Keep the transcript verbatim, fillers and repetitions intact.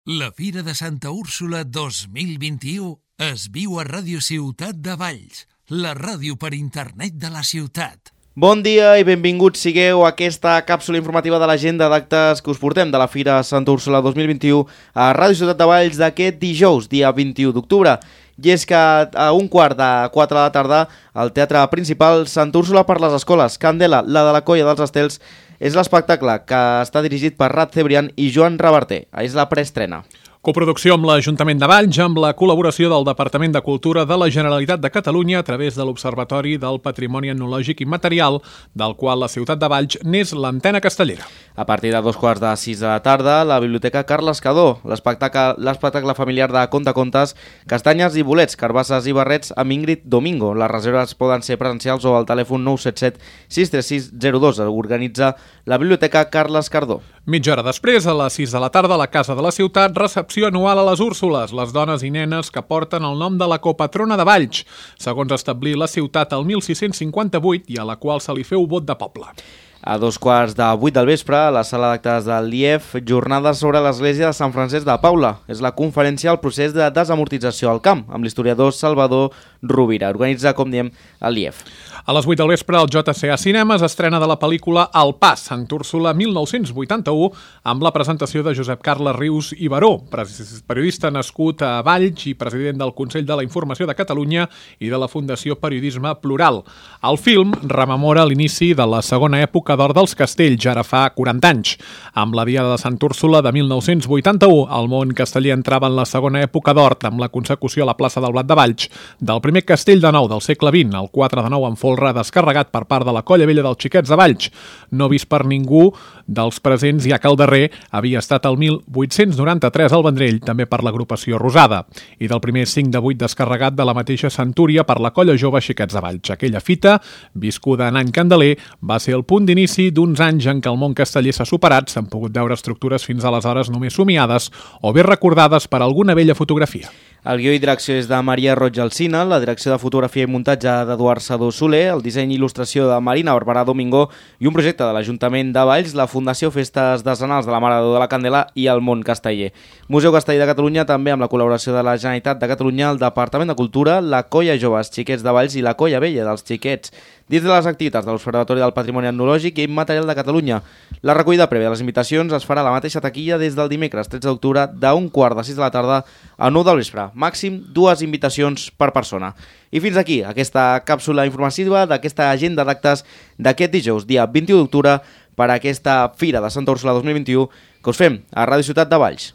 La Fira de Santa Úrsula dos mil vint-i-u es viu a Ràdio Ciutat de Valls, la ràdio per internet de la ciutat. Bon dia i benvinguts sigueu a aquesta càpsula informativa de l'agenda d'actes que us portem de la Fira Santa Úrsula dos mil vint-i-u a Ràdio Ciutat de Valls d'aquest dijous, dia vint-i-u d'octubre. I és que a un quart de quatre de la tarda al Teatre Principal Santa Úrsula per les Escoles, Candela, la de la Colla dels Estels, és l'espectacle que està dirigit per Rat Cebrián i Joan Reverter. És la preestrena. Coproducció amb l'Ajuntament de Valls, amb la col·laboració del Departament de Cultura de la Generalitat de Catalunya a través de l'Observatori del Patrimoni Etnològic i Material, del qual la ciutat de Valls n'és l'antena castellera. A partir de dos quarts de sis de la tarda, la Biblioteca Carles Cadó, l'espectacle familiar de Contacontes, Castanyes i Bolets, Carbasses i Barrets amb Ingrid Domingo. Les reserves poden ser presencials o al telèfon nou set set sis tres sis zero dos. Organitza la Biblioteca Carles Cardó. Mitja hora després, a les sis de la tarda, a la Casa de la Ciutat, recepció anual a les Úrsules, les dones i nenes que porten el nom de la copatrona de Valls, segons establir la ciutat el mil sis-cents cinquanta-vuit i a la qual se li feu vot de poble. A dos quarts de vuit del vespre, a la sala d'actes del I E F, jornades sobre l'església de Sant Francesc de Paula. És la conferència al procés de desamortització al camp, amb l'historiador Salvador Rovira. Organitza, com diem, l'I E F. A les vuit del vespre, al J C A Cinemes estrena de la pel·lícula El Pas, Sant Úrsula mil nou-cents vuitanta-u, amb la presentació de Josep Carles Rius i Baró, periodista nascut a Valls i president del Consell de la Informació de Catalunya i de la Fundació Periodisme Plural. El film rememora l'inici de la segona època d'or dels castells, ara fa quaranta anys. Amb la Diada de Sant Úrsula de mil nou-cents vuitanta-u, el món casteller entrava en la segona època d'or amb la consecució a la plaça del Blat de Valls del primer castell de nou del segle vint, el quatre de nou en folre descarregat per part de la Colla Vella dels Xiquets de Valls, no vist per ningú dels presents, ja que el darrer havia estat el mil vuit-cents noranta-tres al Vendrell, també per l'agrupació Rosada, i del primer cinc de vuit descarregat de la mateixa centúria per la Colla Jove Xiquets de Valls. Aquella fita, viscuda en any candeler, va ser el punt d'inici d'uns anys en què el món casteller s'ha superat, s'han pogut veure estructures fins aleshores només somiades o bé recordades per alguna vella fotografia. El guió i direcció és de Maria Roig Alsina, la direcció de fotografia i muntatge d'Eduard Sadó Soler, el disseny i il·lustració de Marina Barberà Domingo i un projecte de l'Ajuntament de Valls, la Fundació Festes Decenals de la Mare de Déu de la Candela i el Món Casteller. Museu Casteller de Catalunya, també amb la col·laboració de la Generalitat de Catalunya, el Departament de Cultura, la Colla Joves Xiquets de Valls i la Colla Vella dels Xiquets, dins de les activitats de l'Observatori del Patrimoni Etnològic i Material de Catalunya. La recollida prèvia de les invitacions es farà a la mateixa taquilla des del dimecres tretze d'octubre d'un quart de sis de la tarda a nou del vespre. Màxim dues invitacions per persona. I fins aquí aquesta càpsula informativa d'aquesta agenda d'actes d'aquest dijous, dia vint-i-u d'octubre, per a aquesta Fira de Santa Úrsula dos mil vint-i-u que us fem a Ràdio Ciutat de Valls.